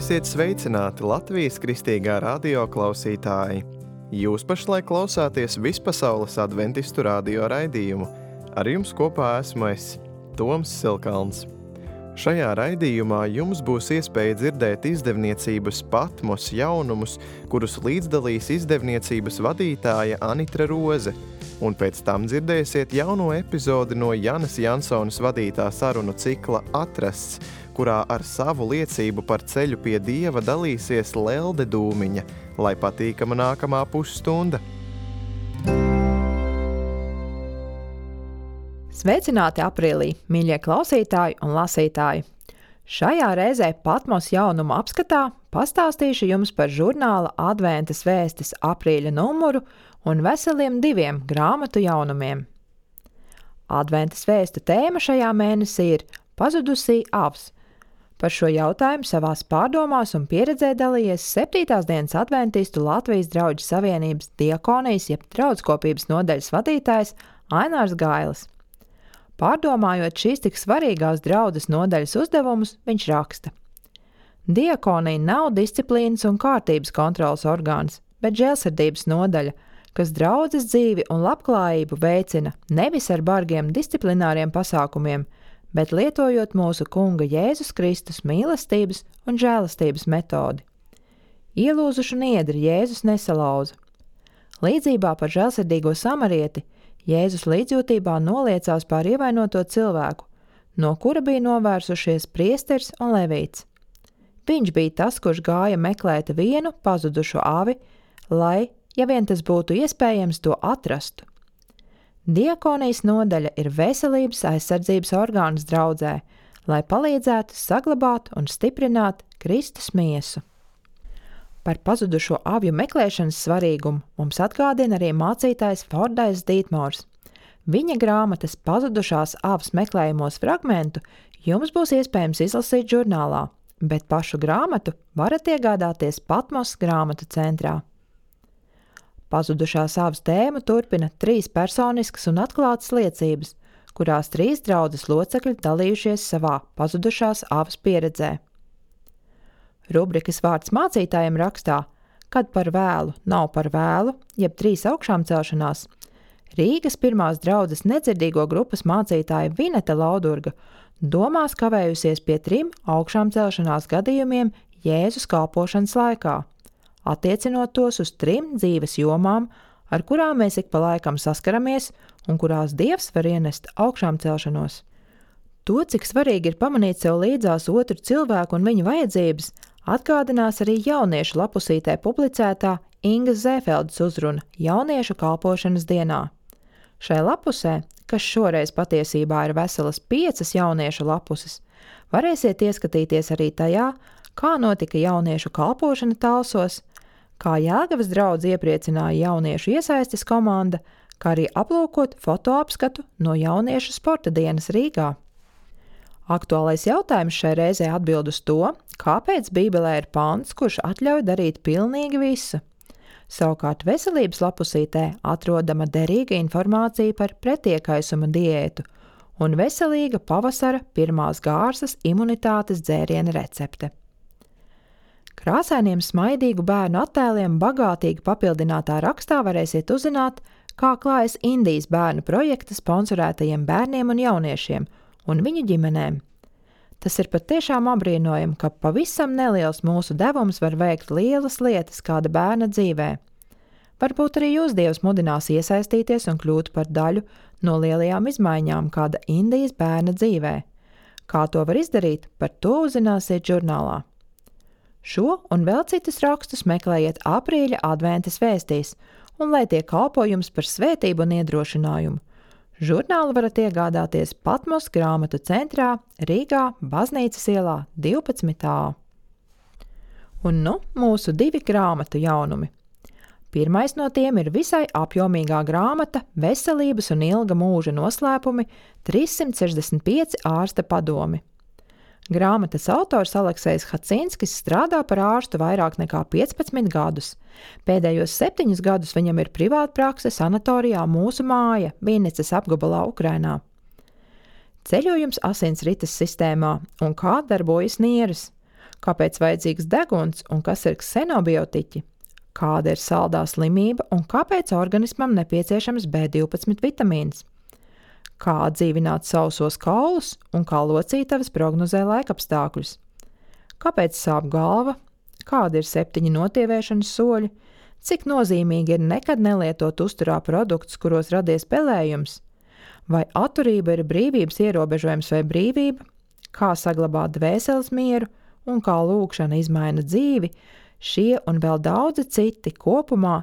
Esiet sveicināti Latvijas kristīgā radio klausītāji! Jūs pašlaik klausāties Vispasaules adventistu radio raidījumu. Ar jums kopā esmu es, Toms Silkalns. Šajā raidījumā jums būs iespēja dzirdēt izdevniecības Patmos jaunumus, kurus līdzdalīs izdevniecības vadītāja Anitra Roze, un pēc tam dzirdēsiet jauno epizodi no Janas Jansonas vadītā sarunu cikla Atrasts, kurā ar savu liecību par ceļu pie Dieva dalīsies Lelde Dūmiņa, lai patīkama nākamā pusstunda. Sveicināti aprīlī, mīļie klausītāji un lasītāji! Šajā reizē Patmos jaunumu apskatā pastāstīšu jums par žurnāla Adventas vēstis aprīļa numuru un veseliem 2 grāmatu jaunumiem. Adventas vēstu tēma šajā mēnesī ir pazudusī avs. Par šo jautājumu savās pārdomās un pieredzē dalījies 7. dienas adventistu Latvijas Draudžu Savienības diakonijas jeb draudskopības nodaļas vadītājs Ainārs Gailis. Pārdomājot šīs tik svarīgās draudzes nodaļas uzdevumus, viņš raksta: Diakonija nav disciplīnas un kārtības kontroles orgāns, bet žēlsirdības nodaļa, kas draudzes dzīvi un labklājību veicina nevis ar bargiem disciplināriem pasākumiem, bet lietojot mūsu Kunga Jēzus Kristus mīlestības un žēlastības metodi. Ielūzušu niedri Jēzus nesalauza. Līdzībā par žēlsirdīgo samarieti Jēzus līdzjūtībā noliecās pār ievainoto cilvēku, no kura bija novērsušies priesteris un levīts. Viņš bija tas, kurš gāja meklēt vienu pazudušo avi, lai, ja vien tas būtu iespējams, to atrastu. Diakonijas nodaļa ir veselības aizsardzības orgāns draudzē, lai palīdzētu saglabāt un stiprināt Kristus miesu. Par pazudušo avju meklēšanas svarīgumu mums atgādina arī mācītājs Fordais Dītmors. Viņa grāmatas pazudušās avas meklējumos fragmentu jums būs iespējams izlasīt žurnālā, bet pašu grāmatu varat iegādāties Patmos grāmatu centrā. Pazudušās avas tēmu turpina 3 personiskas un atklātas liecības, kurās 3 draudzes locekļi dalījušies savā pazudušās avas pieredzē. Rubrikas vārds mācītājiem rakstā, kad par vēlu nav par vēlu, jeb 3 augšām celšanās, Rīgas 1. draudzes nedzirdīgo grupas mācītāja Vineta Laudurga domās kavējusies pie 3 augšām celšanās gadījumiem Jēzus kalpošanas laikā, attiecinot tos uz 3 dzīves jomām, ar kurām mēs ik pa laikam saskaramies un kurās Dievs var ienest augšām celšanos. To, cik svarīgi ir pamanīt sev līdzās otru cilvēku un viņa vajadzības, atgādinās arī jauniešu lapusītē publicētā Ingas Zēfeldes uzruna jauniešu kalpošanas dienā. Šai lapusē, kas šoreiz patiesībā ir veselas 5 jauniešu lapuses, varēsiet ieskatīties arī tajā, kā notika jauniešu kalpošana Talsos, kā Jelgavas draudze iepriecināja jauniešu iesaistes komanda, kā arī aplūkot fotoapskatu no jauniešu sporta dienas Rīgā. Aktuālais jautājums šai reizē atbild uz to, kāpēc Bībelē ir pants, kurš atļauj darīt pilnīgi visu. Savukārt veselības lapusītē atrodama derīga informācija par pretiekaisuma diētu un veselīga pavasara pirmās gārsas imunitātes dzēriena recepte. Krāsainiem smaidīgu bērnu attēliem bagātīgi papildinātā rakstā varēsiet uzzināt, kā klājas Indijas bērnu projekta sponsorētajiem bērniem un jauniešiem un viņu ģimenēm. Tas ir patiešām apbrīnojami, ka pavisam neliels mūsu devums var veikt lielas lietas kāda bērna dzīvē. Varbūt arī jūs Dievs mudinās iesaistīties un kļūt par daļu no lielajām izmaiņām kāda Indijas bērna dzīvē. Kā to var izdarīt, par to uzzināsiet žurnālā. Šo un vēl citus rakstus meklējiet aprīļa adventas vēstīs, un lai tie kalpo jums par svētību un iedrošinājumu. Žurnālu varat iegādāties Patmos grāmatu centrā Rīgā, Baznīcas ielā 12a. Un nu mūsu 2 grāmatu jaunumi. Pirmais no tiem ir visai apjomīgā grāmata Veselības un ilga mūža noslēpumi 365 ārsta padomi. Grāmatas autors Aleksejs Hacinskis strādā par ārstu vairāk nekā 15 gadus. Pēdējos 7 gadus viņam ir privātprakse sanatorijā Mūsu māja, Vinnicas apgabalā Ukrainā. Ceļojums asinsrites sistēmā un kā darbojas nieres, kāpēc vajadzīgs deguns un kas ir ksenobiotiķi, kāda ir saldā slimība un kāpēc organismam nepieciešams B12 vitamīns, kā atdzīvināt sausos kaulus un kā locītavas prognozē laikapstākļus, kāpēc sāp galva, kādi ir 7 notieviešanas soļi, cik nozīmīgi ir nekad nelietot uzturā produktus, kuros radies pelējums, vai atturība ir brīvības ierobežojums vai brīvība, kā saglabāt dvēseles mieru un kā lūgšana izmaina dzīvi, šie un vēl daudzi citi kopumā,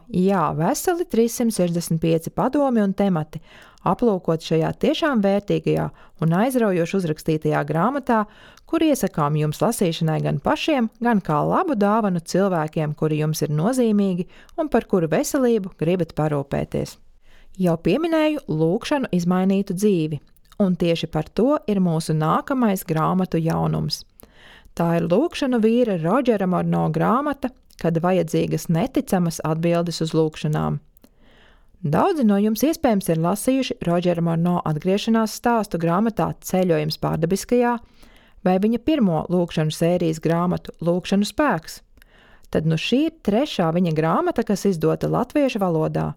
veseli 365 padomi un temati, aplūkot šajā tiešām vērtīgajā un aizraujoši uzrakstītajā grāmatā, kur iesakām jums lasīšanai gan pašiem, gan kā labu dāvanu cilvēkiem, kuri jums ir nozīmīgi un par kuru veselību gribat parūpēties. Jau pieminēju lūgšanu izmainītu dzīvi, un tieši par to ir mūsu nākamais grāmatu jaunums. Tā ir lūgšanu vīra Rodžera Morno grāmata, kad vajadzīgas neticamas atbildes uz lūgšanām. Daudzi no jums iespējams ir lasījuši Rodžera Morno atgriešanās stāstu grāmatā Ceļojums pārdabiskajā vai viņa pirmo lūgšanu sērijas grāmatu Lūgšanu spēks. Tad šī ir 3. viņa grāmata, kas izdota latviešu valodā.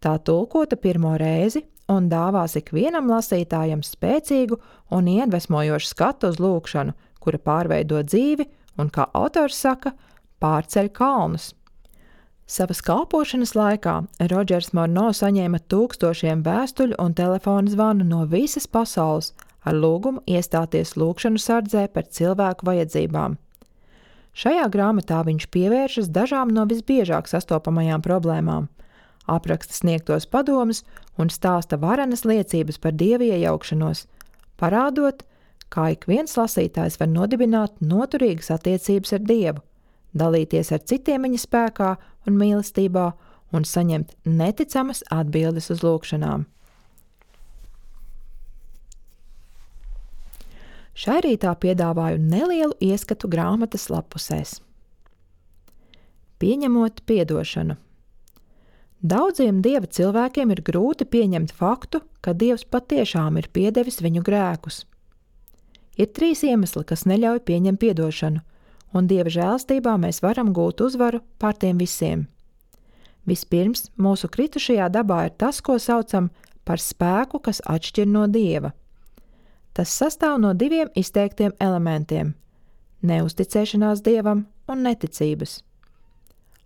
Tā tulkota pirmo reizi un dāvās ikvienam lasītājam spēcīgu un iedvesmojošu skatu uz lūgšanu, kura pārveido dzīvi un, kā autors saka, pārceļ kalnus. Savas kalpošanas laikā Rodžers Morno saņēma tūkstošiem vēstuļu un telefonu zvanu no visas pasaules ar lūgumu iestāties lūgšanu sardzē par cilvēku vajadzībām. Šajā grāmatā viņš pievēršas dažām no visbiežāk sastopamajām problēmām, apraksta sniegtos padomus un stāsta varenas liecības par Dieva iejaukšanos, parādot, kā ik viens lasītājs var nodibināt noturīgas attiecības ar Dievu, dalīties ar citiem viņa spēkā un mīlestībā un saņemt neticamas atbildes uz lūgšanām. Šai rītā piedāvāju nelielu ieskatu grāmatas lapusēs. Pieņemot piedošanu. Daudziem Dieva cilvēkiem ir grūti pieņemt faktu, ka Dievs patiešām ir piedevis viņu grēkus. Ir 3 iemesli, kas neļauj pieņemt piedošanu, un Dieva žēlstībā mēs varam gūt uzvaru pār tiem visiem. Vispirms, mūsu kritušajā dabā ir tas, ko saucam par spēku, kas atšķir no Dieva. Tas sastāv no 2 izteiktiem elementiem – neusticēšanās Dievam un neticības.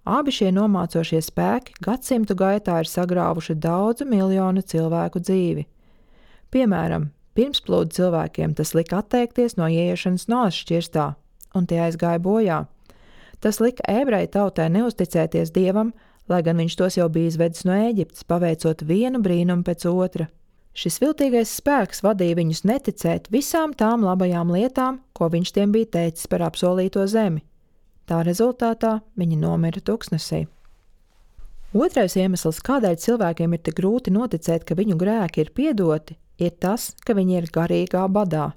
Abi šie nomācošie spēki gadsimtu gaitā ir sagrāvuši daudzu miljonu cilvēku dzīvi. Piemēram, pirmsplūdu cilvēkiem tas lika atteikties no ieiešanas Noas šķirstā, un tie aizgāja bojā. Tas lika ebreju tautai neusticēties Dievam, lai gan viņš tos jau bija izvedis no Ēģiptes, paveicot vienu brīnumu pēc otra. Šis viltīgais spēks vadīja viņus neticēt visām tām labajām lietām, ko viņš tiem bija teicis par apsolīto zemi. Tā rezultātā viņi nomira tuksnesī. Otrais iemesls, kādēļ cilvēkiem ir tik grūti noticēt, ka viņu grēki ir piedoti, ir tas, ka viņi ir garīgā badā.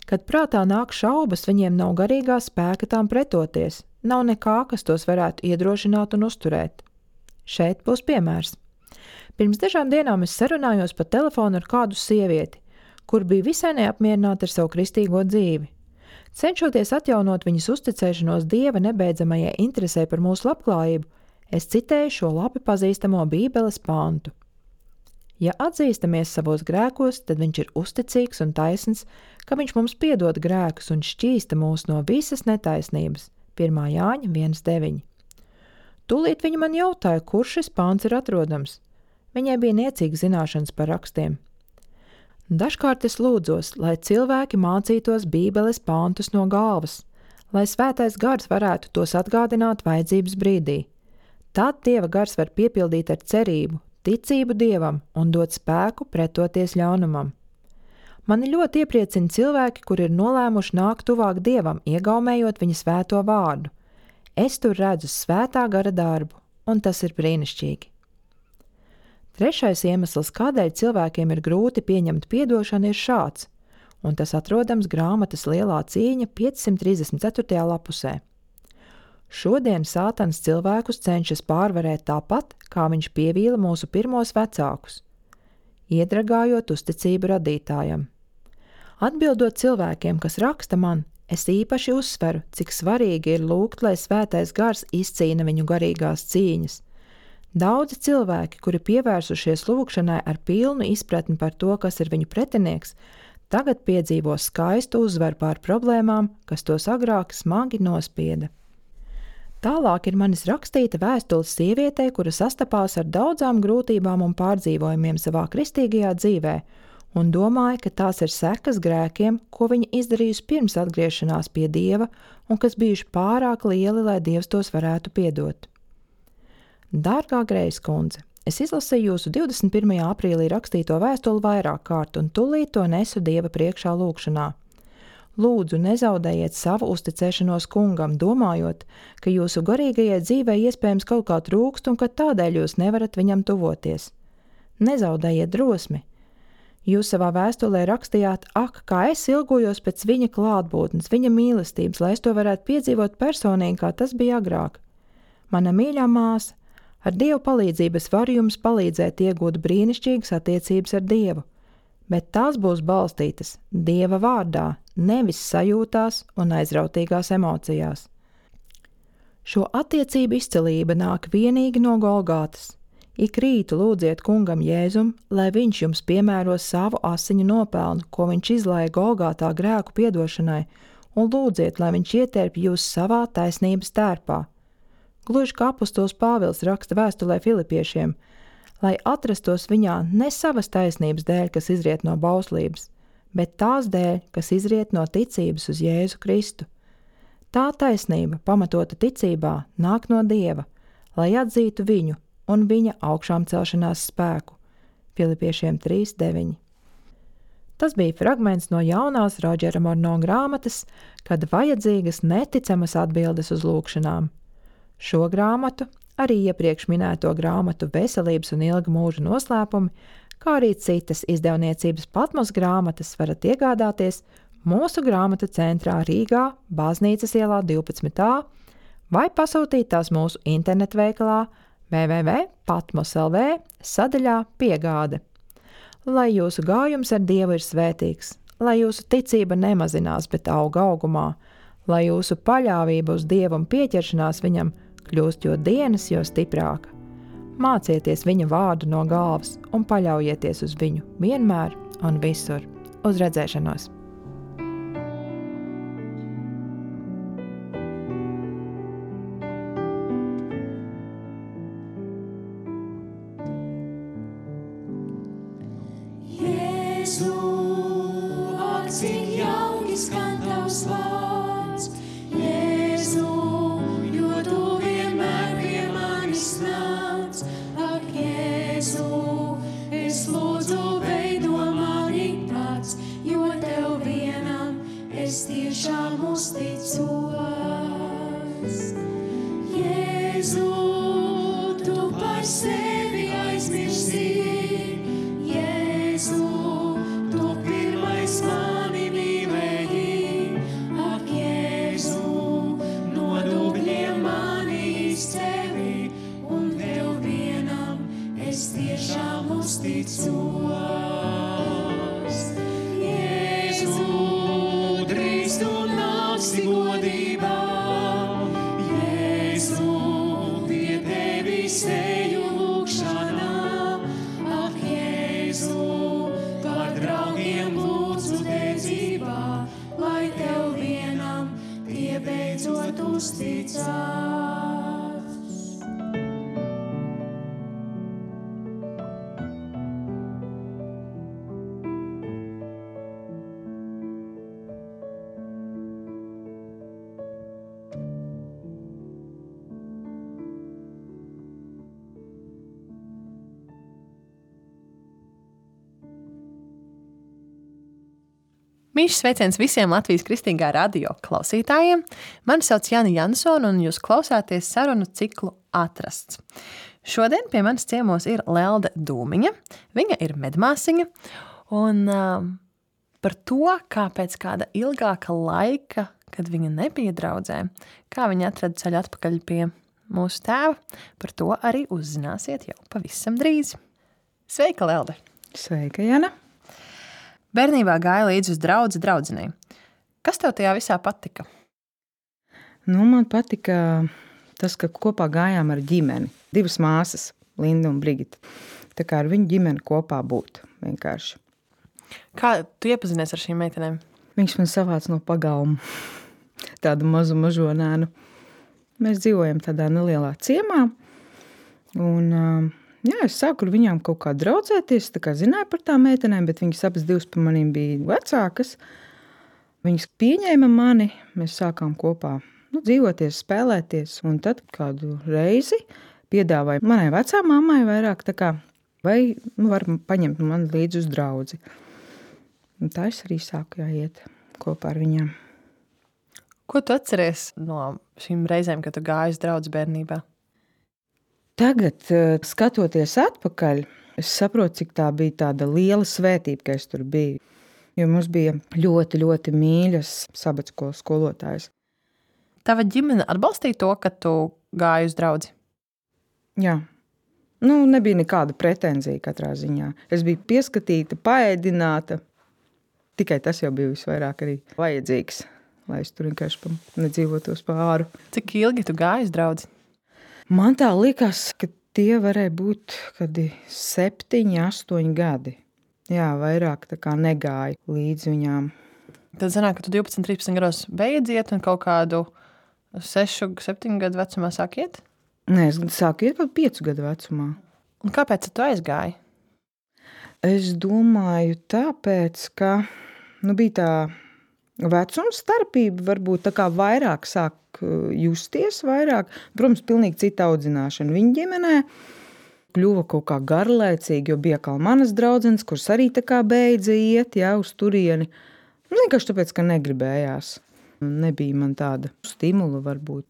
Kad prātā nāk šaubas, viņiem nav garīgā spēka tām pretoties, nav nekā, kas tos varētu iedrošināt un uzturēt. Šeit būs piemērs. Pirms dažām dienām es sarunājos pa telefonu ar kādu sievieti, kur bija visai neapmierināta ar savu kristīgo dzīvi. Cenšoties atjaunot viņas uzticēšanos Dieva nebeidzamajai interesē par mūsu labklājību, es citēju šo labi pazīstamo Bībeles pantu. Ja atzīstamies savos grēkos, tad viņš ir uzticīgs un taisns, ka viņš mums piedod grēkus un šķīsta mūs no visas netaisnības. 1. Jāņa 1.9. Tūlīt viņa man jautāja, kur šis pants ir atrodams. Viņai bija niecīga zināšanas par rakstiem. Dažkārt es lūdzos, lai cilvēki mācītos Bībeles pantus no galvas, lai svētais gars varētu tos atgādināt vajadzības brīdī. Tad Dieva gars var piepildīt ar cerību, ticību Dievam un dot spēku pretoties ļaunumam. Mani ļoti iepriecina cilvēki, kuri ir nolēmuši nākt tuvāk Dievam, iegaumējot viņa svēto vārdu. Es tur redzu svētā gara darbu, un tas ir brīnišķīgi. Trešais iemesls, kādēļ cilvēkiem ir grūti pieņemt piedošanu, ir šāds, un tas atrodams grāmatas Lielā cīņa 534. lapusē. Šodien Sātans cilvēkus cenšas pārvarēt tāpat, kā viņš pievīla mūsu pirmos vecākus, iedragājot uzticību radītājam. Atbildot cilvēkiem, kas raksta man, Es īpaši uzsveru, cik svarīgi ir lūgt, lai svētais gars izcīna viņu garīgās cīņas. Daudzi cilvēki, kuri pievērsušies lūgšanai ar pilnu izpratni par to, kas ir viņu pretinieks, tagad piedzīvo skaistu uzvaru pār problēmām, kas tos agrāk smagi nospieda. Tālāk ir manis rakstīta vēstule sievietei, kura sastapās ar daudzām grūtībām un pārdzīvojumiem savā kristīgajā dzīvē, un domāja, ka tās ir sekas grēkiem, ko viņa izdarījusi pirms atgriešanās pie Dieva un kas bijuši pārāk lieli, lai Dievs tos varētu piedot. Dārgā Grejas kundze, es izlasīju jūsu 21. aprīlī rakstīto vēstuli vairāk kārt un tūlīt to nesu Dieva priekšā lūgšanā. Lūdzu, nezaudējiet savu uzticēšanos kungam, domājot, ka jūsu garīgajai dzīvei iespējams kaut kā trūkst un ka tādēļ jūs nevarat viņam tuvoties. Nezaudējiet drosmi. Jūs savā vēstulē rakstījāt, kā es ilgojos pēc viņa klātbūtnes, viņa mīlestības, lai es to varētu piedzīvot personīgi, kā tas bija agrāk. Mana mīļā māsa, ar Dievu palīdzību es varu jums palīdzēt iegūt brīnišķīgas attiecības ar Dievu, bet tās būs balstītas Dieva vārdā, nevis sajūtās un aizrautīgās emocijās. Šo attiecību izcilība nāk vienīgi no Golgātas. Ik rītu lūdziet kungam Jēzum, lai viņš jums piemēro savu asiņu nopelnu, ko viņš izlāja Golgātā grēku piedošanai, un lūdziet, lai viņš ietērp jūs savā taisnības tērpā. Gluži kā apostols Pāvils raksta vēstulē Filipiešiem, lai atrastos viņā ne savas taisnības dēļ, kas izriet no bauslības, bet tās dēļ, kas izriet no ticības uz Jēzu Kristu. Tā taisnība, pamatota ticībā, nāk no Dieva, lai atzītu viņu un viņa augšām celšanās spēku. Filipiešiem 3:9. Tas bija fragments no jaunās Rodžera Morno grāmatas, kad vajadzīgas neticamas atbildes uz lūgšanām. Šo grāmatu, arī iepriekš minēto grāmatu Veselības un ilga mūža noslēpumi, kā arī citas izdevniecības Patmos grāmatas varat iegādāties mūsu grāmatu centrā Rīgā, Baznīcas ielā 12a, vai pasūtīt tās mūsu internetveikalā www.patmos.lv sadaļā Piegāde. Lai jūsu gājums ar Dievu ir svētīgs, lai jūsu ticība nemazinās, bet auga augumā, lai jūsu paļāvība uz Dievu un pieķeršanās viņam kļūst jo dienas, jo stiprāka. Mācieties viņa vārdu no galvas un paļaujieties uz viņu vienmēr un visur. Uz redzēšanos! Cik jauki skan tavs vārds, Jēzu, jo tu vienmēr pie manis nāc. Ak, Jēzu, es lūdzu veido mani pats, jo tev vienam es tiešām uzticos. Jēzu, tu par sevi aizmirsti, Jēzu, tu pirmais mani mīlēji, ak, Jēzu, no dubļiem mani izcēli, un tev vienam es tiešām uzticos. Jēzu, drīz tu nāksi godībā, Jēzu, pie tevis eju lūgšanā, ak, Jēzu, par draugiem lūdzu dedzībā, lai tev vienam tie beidzot uzticās. Mīļš sveiciens visiem Latvijas Kristīgā radio klausītājiem. Mani sauc Jāni Jansona un jūs klausāties sarunu ciklu Atrasts. Šodien pie manis ciemos ir Lelde Dūmiņa. Viņa ir medmāsiņa un par to, kā pēc kāda ilgāka laika, kad viņa nebija draudzē, kā viņa atrada ceļu atpakaļ pie mūsu tēva, par to arī uzzināsiet jau pavisam drīz. Sveika, Lelde! Sveika, Jana! Bērnībā gāja līdz uz draudzenei. Kas tev tajā visā patika? Nu, man patika tas, ka kopā gājām ar ģimeni. 2 māsas, Linda un Brigita. Tā kā ar viņu ģimeni kopā būt vienkārši. Kā tu iepazinies ar šīm meitenēm? Viņš man savāc no pagalma. Tādu mazu mažonēnu. Mēs dzīvojam tādā nelielā ciemā. Un, jā, es sāku ar viņām kaut kā draudzēties. Tā kā zināju par tām meitenēm, bet viņas abas 2 par manīm bija vecākas. Viņas pieņēma mani. Mēs sākām kopā dzīvoties, spēlēties. Un tad kādu reizi piedāvāja manai vecā mammai vairāk tā kā, vai var paņemt mani līdzi uz draudzi. Un tā es arī sāku iet kopā ar viņām. Ko tu atceries no šīm reizēm, kad tu gāji uz draudzi bērnībā? Tagad, skatoties atpakaļ, es saprotu, cik tā bija tāda liela svētība, ka es tur biju. Jo mums bija ļoti, ļoti mīļas sabatskolas skolotājas. Tava ģimene atbalstīja to, ka tu gāji uz draudzi? Jā. Nebija nekāda pretenzija katrā ziņā. Es biju pieskatīta, paēdināta. Tikai tas jau bija visvairāk arī vajadzīgs, lai es tur vienkārši nedzīvotos pāri. Cik ilgi tu gāji uz draudzi? Man tā likās, ka tie varēja būt kādi 7, 8 gadi. Jā, vairāk tā kā negāju līdz viņām. Tad sanāk, ka tu 12, 13 gados beidz iet un kaut kādu 6, 7 gadu vecumā sāk iet? Nē, es sāku iet kaut 5 gadu vecumā. Un kāpēc tu aizgāji? Es domāju tāpēc, ka bija tā vecuma starpība, varbūt tā kā vairāk sāk justies vairāk. Protams, pilnīgi cita audzināšana viņa ģimenē. Kļuva kaut kā garlaicīgi, jo bija kā manas draudzenes, kuras arī tā kā beidza iet, uz turieni. Vienkārši tāpēc, ka negribējās. Nebija man tāda stimula varbūt.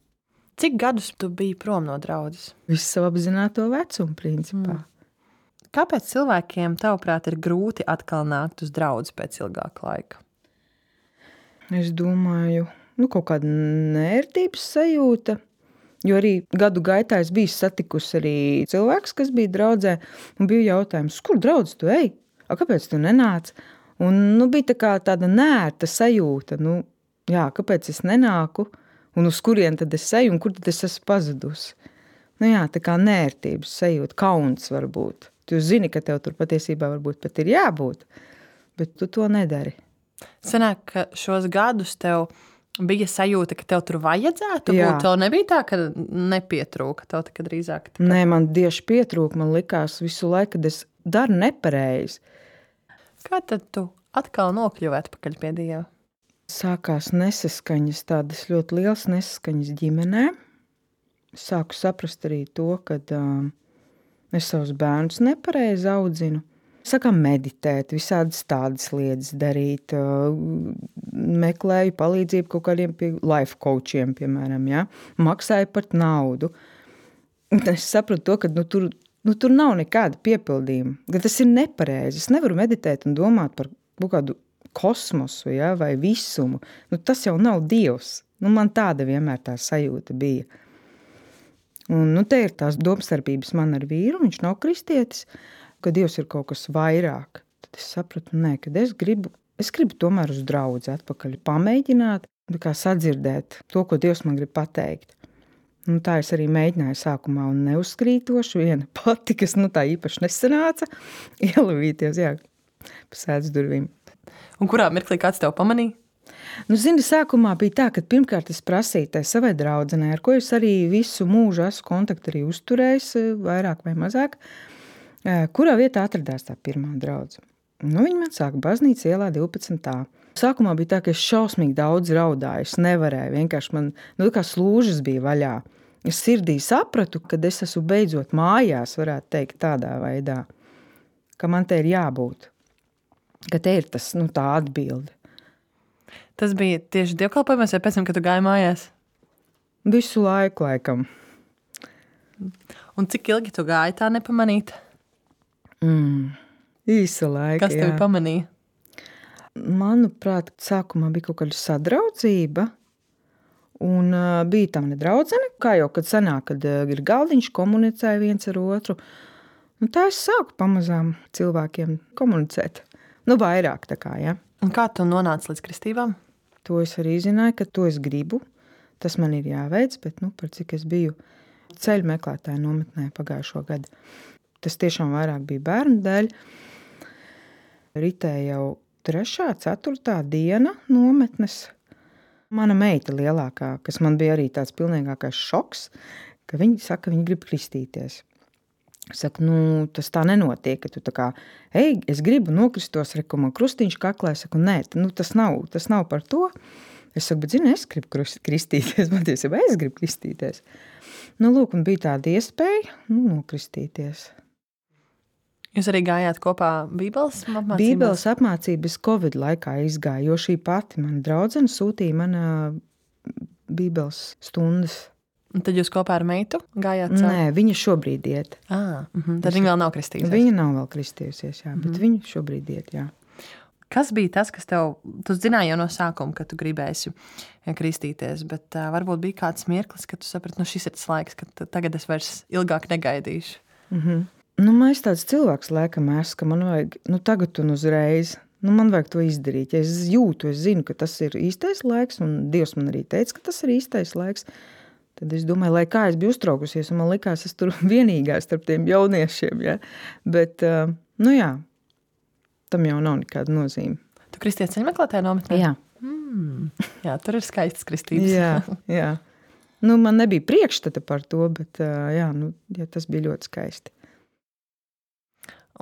Cik gadus tu biji prom no draudzes? Visu savu apzināto vecumu principā. Kāpēc cilvēkiem, tavuprāt, ir grūti atkal nākt uz draudzi pēc ilgāka laika? Es domāju, kaut kāda nērtības sajūta. Jo arī gadu gaitā es biju satikusi arī cilvēks, kas bija draudzē, un bija jautājums, kur draudz tu ej? Kāpēc tu nenāc? Un bija tā kā tāda nērta sajūta, kāpēc es nenāku, un uz kurien tad es eju, un kur tad es esmu pazudusi. Tā kā nērtības sajūta, kauns varbūt. Tu zini, ka tev tur patiesībā varbūt pat ir jābūt, bet tu to nedari. Sanāk, ka šos gadus tev bija sajūta, ka tev tur vajadzētu būt? Tev nebija tā, ka nepietrūka? Tev tā, drīzāk tā, Nē, man tieši pietrūka. Man likās visu laiku, kad es daru nepareizi. Kā tad tu atkal nokļuvi atpakaļ pie Dieva? Sākās nesaskaņas, tādas ļoti lielas nesaskaņas ģimenē. Sāku saprast arī to, ka es savus bērnus nepareizi audzinu. Sākām meditēt, visādas tādas lietas darīt. Meklēju palīdzību kaut kādiem life coachiem, piemēram. Ja? Maksāju par naudu. Es sapratu to, ka tur nav nekāda piepildījuma. Ka tas ir nepareizi. Es nevaru meditēt un domāt par kaut kādu kosmosu, vai visumu. Tas jau nav Dievs. Man tāda vienmēr tā sajūta bija. Un te ir tās domstarpības man ar vīru, viņš nav kristietis, ka Dievs ir kaut kas vairāk. Tad es sapratu, kad es gribu tomēr uz draudzi atpakaļ pamēģināt, kā sadzirdēt to, ko Dievs man grib pateikt. Tā es arī mēģināju sākumā un neuzskrītoši, viena pati, kas tā īpaši nesanāca, ielavīties, pa sēdz durvīm. Un kurā mirklī kāds tev pamanīja? Zini, sākumā bija tā, ka pirmkārt es prasīju tai savai draudzenei, ar ko es arī visu mūžu esmu kontaktu arī uzturējis, vairāk vai mazāk, kurā vietā atradās tā pirmā draudze. Viņa man sāka baznīca ielā 12. Sākumā bija tā, ka es šausmīgi daudz raudāju, es nevarēju, vienkārši man, kā slūžas bija vaļā. Es sirdī sapratu, kad es esmu beidzot mājās, varētu teikt tādā veidā, ka man te ir jābūt, ka te ir tas, tā atbilde. Tas bija tieši dievkalpojumos vai pēc tam, kad tu gāji mājās? Visu laiku, laikam. Un cik ilgi tu gāji tā nepamanīt? Īsa laika, Kas tevi pamanīja? Manuprāt, sākumā bija kaut kāda sadraudzība, un bija tā nedraudzene, kā jau, kad sanāk, kad ir galdiņš, komunicēja viens ar otru. Tā es sāku pamazām cilvēkiem komunicēt. Vairāk tā kā, ja. Un kā tu nonāci līdz kristībām? To es arī zināju, ka to es gribu. Tas man ir jāveic, bet par cik es biju ceļu meklētāju nometnē pagājušo gadu. Tas tiešām vairāk bija bērnu dēļ. Ritēja jau 3., 4. diena nometnes. Mana meita lielākā, kas man bija arī tāds pilnīgākais šoks, ka viņi saka, viņi grib kristīties. Es saku, tas tā nenotiek, ka tu tā kā, es gribu nokristos, reku man krustiņš kaklā. Es saku, nē, tas nav par to. Es saku, bet zini, es gribu kristīties, patiesībā es gribu kristīties. Lūk, un bija tāda iespēja, nokristīties. Jūs arī gājāt kopā Bībeles apmācībās? Bībeles apmācības Covid laikā izgāja, jo šī pati mana draudzene sūtīja man Bībeles stundas. Un tad jūs kopā ar meitu gājāt? Nē, viņa šobrīd iet. Tad viņa vēl nav kristījusies? Viņa nav vēl kristījusies, jā, bet viņa šobrīd iet, jā. Kas bija tas, kas tu zināji jau no sākuma, ka tu gribēsi kristīties, bet varbūt bija kāds mirklis, ka tu saprati, šis ir tas laiks, ka tagad es vairs ilgāk negaidīšu? Es tāds cilvēks laikam esmu, ka man vajag, tagad un uzreiz, man vajag to izdarīt. Ja es jūtu, es zinu, ka tas ir īstais laiks, un Dievs man arī teica, ka tas ir īstais laiks, tad es domāju, lai kā es biju uztraukusies, un man likās, es tur vienīgā starp tiem jauniešiem, ja? Bet, jā, tam jau nav nekāda nozīme. Tu kristies ceļmeklētāju nometnē? Jā. Jā, tur ir skaistas kristības. Jā. Man nebija priekšstata par to, bet jā, tas bija ļoti skaisti.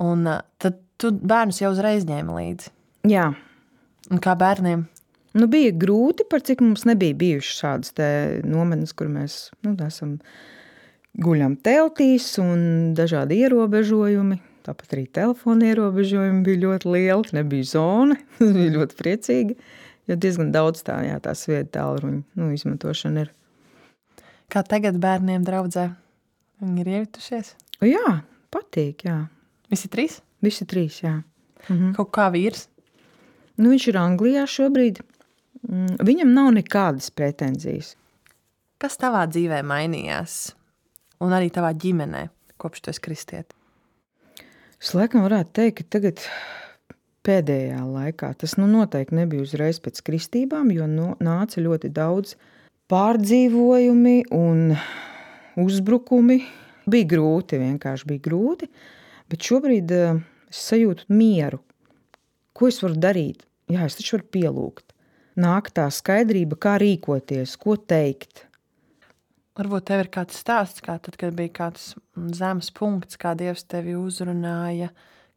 Un tad tu bērnus jau uzreiz ņēmi līdzi? Jā. Un kā bērniem? Bija grūti, par cik mums nebija bijušas šādas te nometnes, kur mēs esam guļam teltīs un dažādi ierobežojumi. Tāpat arī telefona ierobežojumi bija ļoti lieli, nebija zona, bija ļoti priecīgi, jo diezgan daudz tās vietu tālruņu izmantošana ir. Kā tagad bērniem draudzē? Viņi ir iejutušies? Jā, patīk, jā. Visi 3? Visi 3, jā. Kaut kā vīrs? Viņš ir Anglijā šobrīd. Viņam nav nekādas pretenzijas. Kas tavā dzīvē mainījās? Un arī tavā ģimenē, kopš tu esi kristieti? Es laikam varētu teikt, ka tagad pēdējā laikā, tas noteikti nebija uzreiz pēc kristībām, jo nāca ļoti daudz pārdzīvojumi un uzbrukumi. Bija grūti, vienkārši bija grūti. Bet šobrīd es sajūtu mieru. Ko es varu darīt? Jā, es taču varu pielūgt. Nāk tā skaidrība, kā rīkoties, ko teikt. Varbūt tev ir kāds stāsts, kā tad, kad bija kāds zemes punkts, kā Dievs tevi uzrunāja,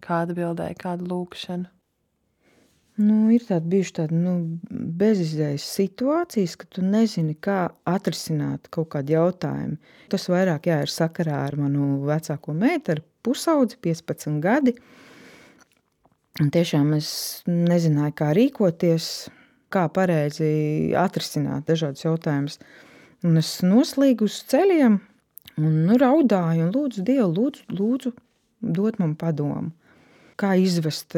kāda atbildēja, kādu lūkšanu? Ir bijuši tādi bezizējas situācijas, ka tu nezini, kā atrisināt kaut kādu jautājumu. Tas vairāk ir sakarā ar manu vecāko meitu, ar pusaudzi, 15 gadi. Un tiešām es nezināju, kā rīkoties, kā pareizi atrisināt dažādus jautājumus. Un es noslīgu uz ceļiem un raudāju un lūdzu Dievu, lūdzu dot man padomu. Kā izvest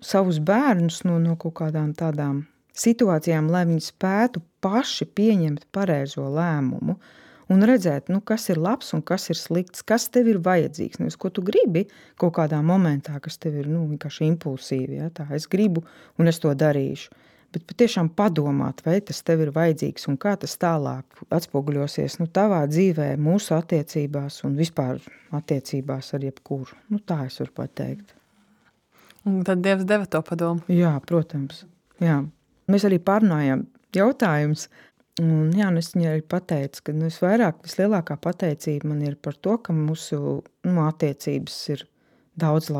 savus bērnus no kaut kādām tādām situācijām, lai viņi spētu paši pieņemt pareizo lēmumu un redzēt, kas ir labs un kas ir slikts, kas tev ir vajadzīgs. Nevis, ko tu gribi kaut kādā momentā, kas tev ir vienkārši impulsīvi. Ja? Tā, es gribu un es to darīšu. Bet patiešām padomāt, vai tas tev ir vajadzīgs un kā tas tālāk atspoguļosies tavā dzīvē, mūsu attiecībās un vispār attiecībās ar jebkuru. Tā es varu pateikt. Un tad Dievs deva to padomu? Jā, protams. Jā. Mēs arī pārnājām jautājumus. Un es viņai arī pateicu, ka vislielākā pateicība man ir par to, ka mūsu attiecības ir daudz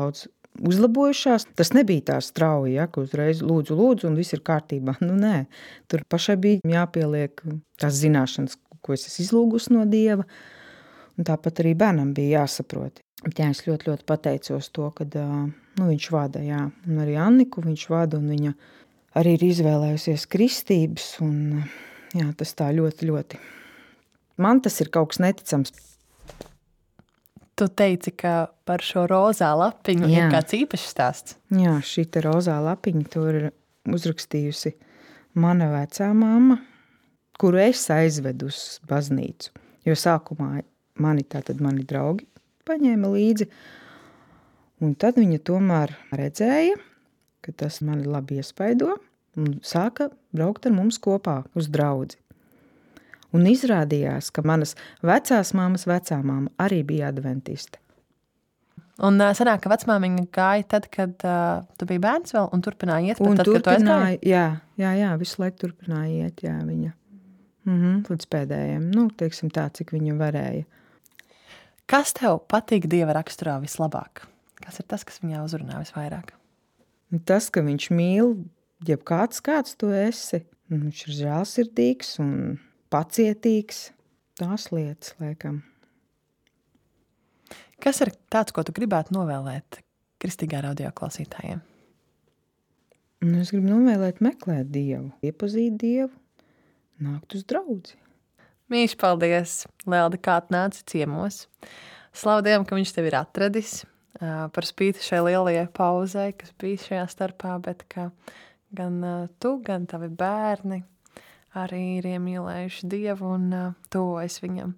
uzlabojušās. Tas nebija tā strauji, ka uzreiz lūdzu un viss ir kārtībā. Nē, tur pašai bija jāpieliek tās zināšanas, ko es esmu izlūgusi no Dieva. Un tāpat arī bērnam bija jāsaprot. Bet es ļoti, ļoti pateicos to, ka viņš vada, jā. Un arī Anniku viņš vada, un viņa arī ir izvēlējusies kristības. Un, jā, tas tā ļoti, ļoti. Man tas ir kaut kas neticams. Tu teici, ka par šo rozā lapiņu ir kāds īpašs stāsts. Jā, šī te rozā lapiņa to ir uzrakstījusi mana vecā mamma, kuru es aizvedu uz baznīcu. Jo sākumā mani draugi paņēma līdzi. Un tad viņa tomēr redzēja, ka tas mani labi iespaido. un sāka braukt ar mums kopā uz draudzi. Un izrādījās, ka manas vecās māmas vecā māma arī bija adventiste. Un sanāk, ka vecmāmiņa gāja tad, kad tu biji bērns vēl un turpināja iet, Un tad, kad tu aizgāji? jā, visu laiku turpināja iet, jā, viņa. Līdz pēdējiem, teiksim tā, cik viņa varēja. Kas tev patīk Dieva raksturā vislabāk? Kas ir tas, kas viņā uzrunā visvairāk? Tas, ka viņš mīl, jebkāds kāds tu esi, viņš ir žēlsirdīgs un pacietīgs, tās lietas, laikam. Kas ir tāds, ko tu gribētu novēlēt kristīgā radio klausītājiem? Es gribu novēlēt meklēt Dievu, iepazīt Dievu, nākt uz draudzi. Mīļš, paldies, Lelde, kā atnāci ciemos. Slavu Dievam, ka viņš tevi ir atradis, par spīti šai lielajai pauzei, kas bija šajā starpā, bet ka gan tu, gan tavi bērni arī ir iemīlējuši Dievu un tuvojas viņam.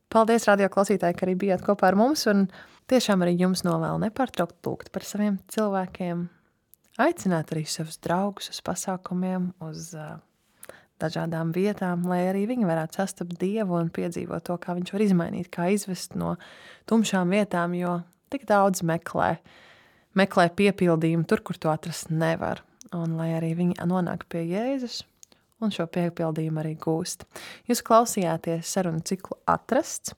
Paldies, radio klausītāji, ka arī bijāt kopā ar mums, un tiešām arī jums novēlu nepārtraukt lūgt par saviem cilvēkiem, aicināt arī savus draugus uz pasākumiem, uz dažādām vietām, lai arī viņi varētu sastapt Dievu un piedzīvot to, kā viņš var izmainīt, kā izvest no tumšām vietām, jo tik daudz meklē piepildījumu tur, kur to atrast nevar, un lai arī viņi nonāk pie Jēzus, un šo piepildījumu arī gūst. Jūs klausījāties sarunu ciklu Atrasts.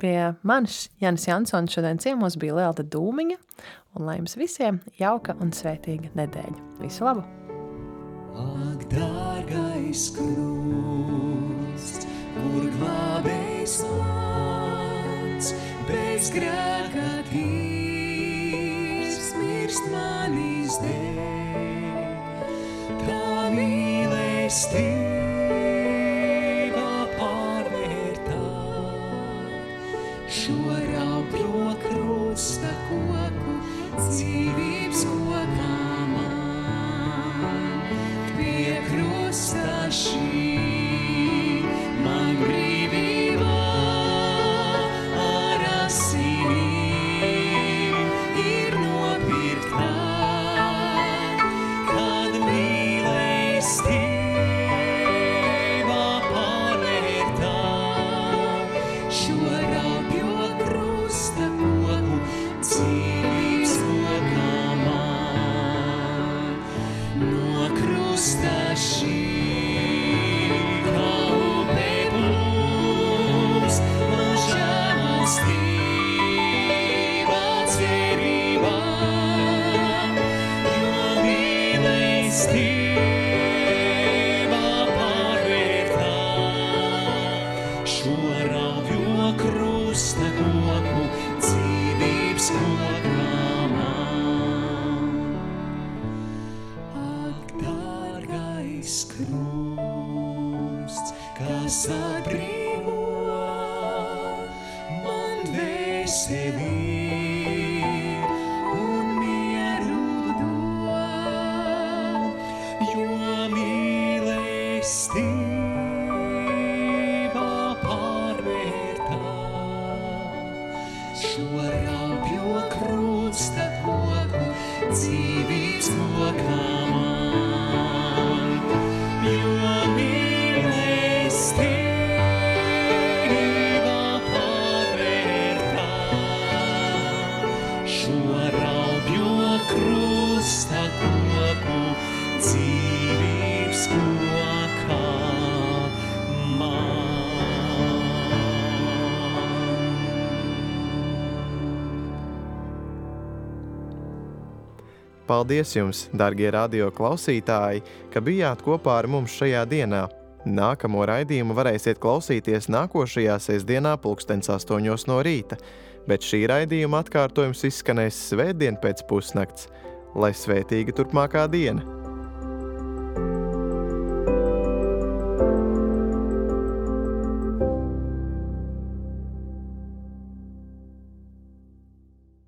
Pie manis Jānis Jansons šodien ciemos bija Lelde Dūmiņa, un lai jums visiem jauka un svētīga nedēļa. Visu labu! Ak, dārgais krusts, kur glābējs mans, bez grēka tīrs, mirst manis dēļ. Tā mīlestība pārvērtā šo raupjo krusta koku dzīvības kokā man. Pie krusta šī man brīvībā ar asinīm ir nopirktā, kad mīlestība pārvērtā šo raupjo krusta koku dzīvības kokā man. No krusta šī kā upē plūst man žēlastība cerībā, jo mīlestība pārvērtā šo raupjo krusta koku dzīvības kokā man. Ak, dārgais krusts, kas atbrīvo man dvēseli un mieru dod, jo mīlestība pārvērtā šo raupjo krusta koku dzīvības kokā man, jo mīlestība pārvērtā šo raupjo krusta koku dzīvības kokā man. Paldies jums, dargie radio klausītāji, ka bijāt kopā ar mums šajā dienā. Nākamo raidījumu varēsiet klausīties nākošajā sestdienā 8:00 no rīta, bet šī raidījuma atkārtojums izskanēs svētdien pēc pusnakts. Lai svētīga turpmākā diena!